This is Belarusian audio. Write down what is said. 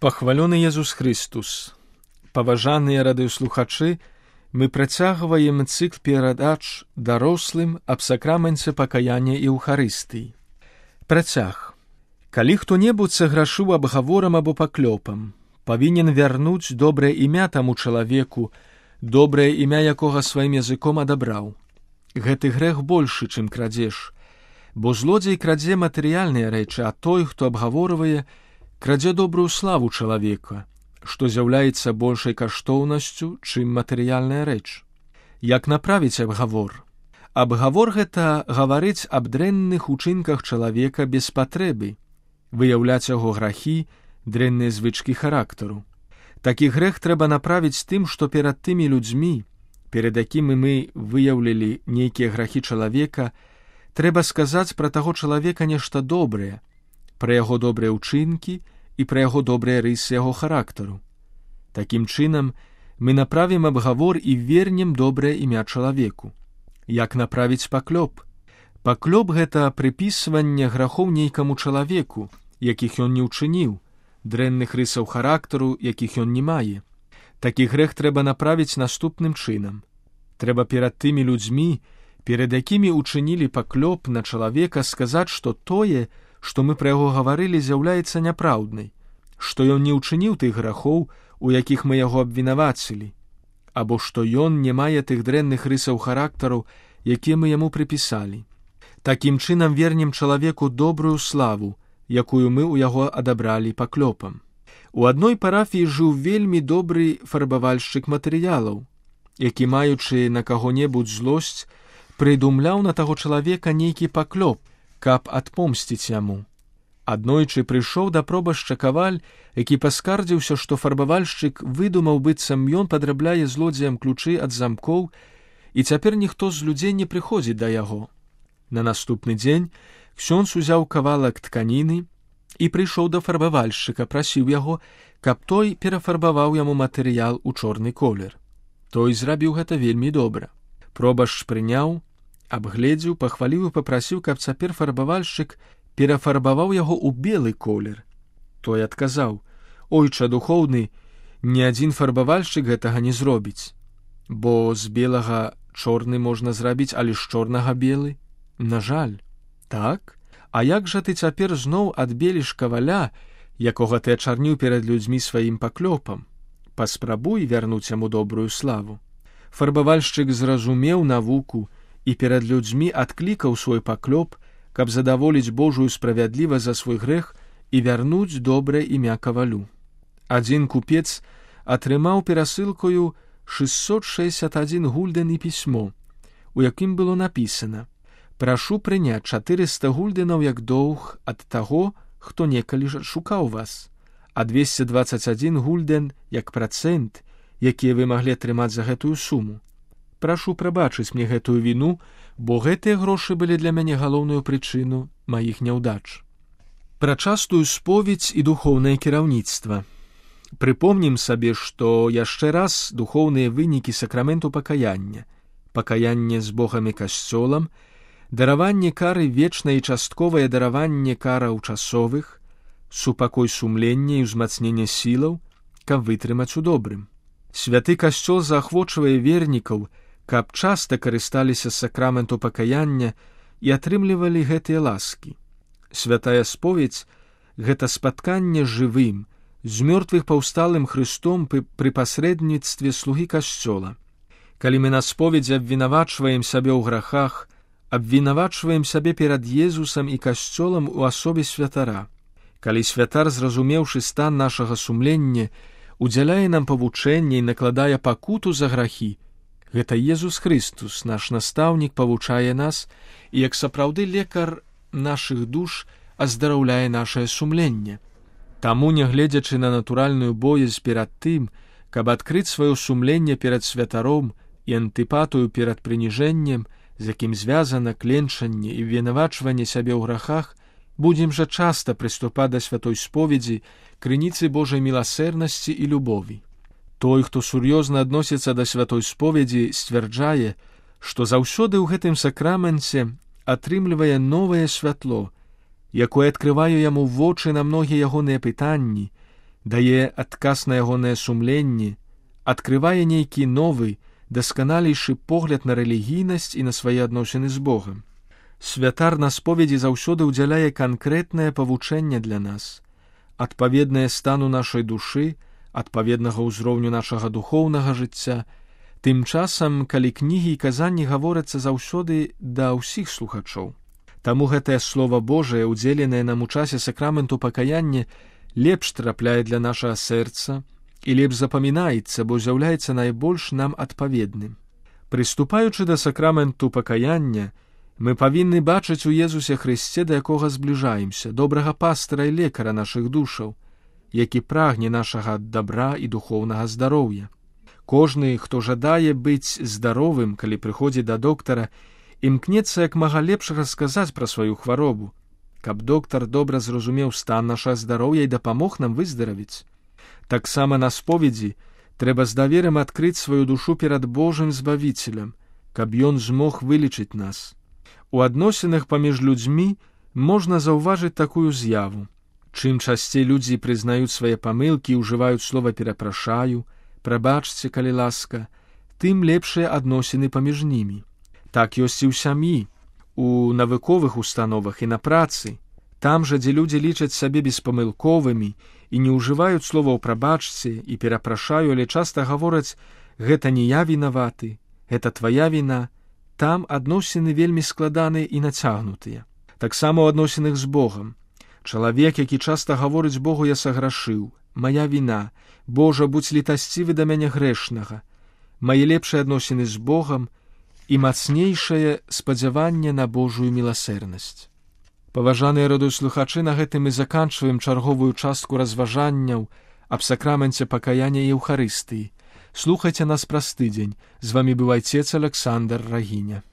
Пахвалёны Езус Христус! Паважаныя радыёслухачы, мы працягваем цыкл перадач дарослым аб сакраменце пакаяння і Еўхарыстыі. Працяг. Калі хто-небудзь саграшыў абгаворам або паклёпам, павінен вярнуць добрае імя таму чалавеку, добрае імя якога сваім языком адабраў. Гэты грэх большы, чым крадзеж, бо злодзей крадзе матэрыяльныя рэчы, а той, хто абгаворвае, крадзе добрую славу чалавека, што з'яўляецца большай каштоўнасцю, чым матэрыяльная рэч. Як направіць абгавор? Абгавор гэта гаварыць аб дрэнных учынках чалавека без патрэбы, выяўляць яго грахі, дрэнныя звычкі характару. Такі грэх трэба направіць тым, што перад тымі людзьмі, перад якімі мы выяўлілі нейкія грахі чалавека, трэба сказаць пра таго чалавека нешта добрае, пра яго добрыя ўчынкі і пра яго добрыя рысы яго характару. Такім чынам, мы направім абгавор і вернем добрае імя чалавеку. Як направіць паклёп? Паклёп — гэта прыпісванне грахоў нейкаму чалавеку, якіх ён не ўчыніў, дрэнных рысаў характару, якіх ён не мае. Такі грэх трэба направіць наступным чынам. Трэба перад тымі людзьмі, перад якімі ўчынілі паклёп на чалавека, сказаць, што тое, што мы пра яго гаварылі, з'яўляецца няпраўднай, што ён не ўчыніў тых грахоў, у якіх мы яго абвінавацілі, або што ён не мае тых дрэнных рысаў характару, якія мы яму прыпісалі. Такім чынам вернем чалавеку добрую славу, якую мы ў яго адабралі паклёпам. У адной парафіі жыў вельмі добры фарбавальшчык матэрыялаў, які, маючы на каго-небудзь злосць, прыдумляў на таго чалавека нейкі паклёп, каб адпомсціць яму. Аднойчы прыйшоў да пробашча каваль, які паскардзіўся, што фарбавальшчык выдумаў, быццам ён падрабляе злодзеям ключы ад замкоў, і цяпер ніхто з людзей не прыходзіць да яго. На наступны дзень ксёндз узяў кавалак тканіны і прыйшоў да фарбавальшчыка, прасіў яго, каб той перафарбаваў яму матэрыял у чорны колер. Той зрабіў гэта вельмі добра. Пробашч прыняў, абгледзеў, пахваліў і папрасіў, каб цяпер фарбавальшчык перафарбаваў яго ў белы колер. Той адказаў: «Ойча духоўны, ні адзін фарбавальшчык гэтага не зробіць, бо з белага чорны можна зрабіць, але з чорнага белы? На жаль, так? А як жа ты цяпер зноў адбеліш каваля, якога ты ачарніў перад людзьмі сваім паклёпам? Паспрабуй вярнуць яму добрую славу». Фарбавальшчык зразумеў навуку і перад людзьмі адклікаў свой паклёп, каб задаволіць Божую справядлівасць за свой грэх і вярнуць добрае імя кавалю. Адзін купец атрымаў перасылкою 661 гульден і пісьмо, у якім было напісана: «Прашу прыняць 400 гульденаў як доўг ад таго, хто некалі ж шукаў вас, а 221 гульден як працэнт, якія вы маглі атрымаць за гэтую суму. Прашу прабачыць мне гэтую віну, бо гэтыя грошы былі для мяне галоўную прычыну маіх няўдач». Пра частую споведзь і духоўнае кіраўніцтва. Прыпомнім сабе, што яшчэ раз духоўныя вынікі сакраменту пакаяння, пакаянне з Богам і касцёлам, дараванне кары вечнае і частковае дараванне караў часовых, супакой сумлення і ўзмацненне сілаў, каб вытрымаць у добрым. Святы касцёл заахвочвае вернікаў, каб часта карысталіся сакраменту пакаяння і атрымлівалі гэтыя ласкі. Святая споведзь — гэта спатканне з жывым, з мёртвых паўсталым Хрыстом пры пасрэдніцтве слугі касцёла. Калі мы на споведзі абвінавачваем сябе ў грахах, абвінавачваем сябе перад Езусам і касцёлам у асобе святара. Калі святар, зразумеўшы стан нашага сумлення, удзяляе нам павучэнне і накладае пакуту за грахі, гэта Езус Христус, наш настаўнік, павучае нас і, як сапраўды лекар нашых душ, аздараўляе нашае сумленне. Таму, нягледзячы на натуральную боязь перад тым, каб адкрыць сваё сумленне перад святаром і антыпатыю перад прыніжэннем, з якім звязана кленчанне і вінавачванне сябе ў грахах, будзем жа часта прыступаць да святой споведзі, крыніцы Божай міласэрнасці і любові. Той, хто сур'ёзна адносіцца да святой споведзі, сцвярджае, што заўсёды ў гэтым сакраменце атрымлівае новае святло, якое адкрывае яму вочы на многія ягоныя пытанні, дае адказ на ягонае сумленне, адкрывае нейкі новы, дасканалейшы погляд на рэлігійнасць і на свае адносіны з Богам. Святар на споведзі заўсёды ўдзяляе канкрэтнае павучэнне для нас, адпаведнае стану нашай душы, адпаведнага ўзроўню нашага духоўнага жыцця. Тым часам, калі кнігі і казанні гаворяцца заўсёды да ўсіх слухачоў. Таму гэтае Слова Божае, удзеленае нам у часе сакраменту пакаяння, лепш трапляе для нашага сэрца і лепш запамінаецца, бо з'яўляецца найбольш нам адпаведным. Прыступаючы да сакраменту пакаяння, мы павінны бачыць у Езусе Хрысце, да якога збліжаемся, добрага пастыра і лекара нашых душаў, які прагне нашага дабра і духоўнага здароўя. Кожны, хто жадае быць здаровым, калі прыходзіць да доктара, імкнецца як мага лепш расказаць пра сваю хваробу, каб доктар добра зразумеў стан нашага здароўя і дапамог нам выздаравіць. Таксама на споведзі трэба з даверам адкрыць сваю душу перад Божым Збавіцелем, каб ён змог вылечыць нас. У адносінах паміж людзьмі можна заўважыць такую з'яву. Чым часцей людзі прызнаюць свае памылкі і ўжываюць слова «перапрашаю», «прабачце, калі ласка», тым лепшыя адносіны паміж німі. Так ёсць і ў сям'і, у навуковых установах і на працы. Там жа, дзе людзі лічаць сабе беспамылковымі і не ўжываюць словаў «прабачце» і «перапрашаю», але часта гавораць «гэта не я вінаваты», «гэта твая віна», там адносіны вельмі складаныя і нацягнутыя. Таксама ў адносінах з Богам. Чалавек, які часта гаворыць Богу «я саграшыў», «мая віна», «Божа, будзь літасцівы да мяне грэшнага», мае лепшыя адносіны з Богам і мацнейшае спадзяванне на Божую міласэрнасць. Паважаныя радыёслухачы, на гэтым мы заканчваем чарговую частку разважанняў аб сакраменце пакаяння і Еўхарыстыі. Слухайце нас праз тыдзень. З вамі быў айцец Аляксандр Рагіня.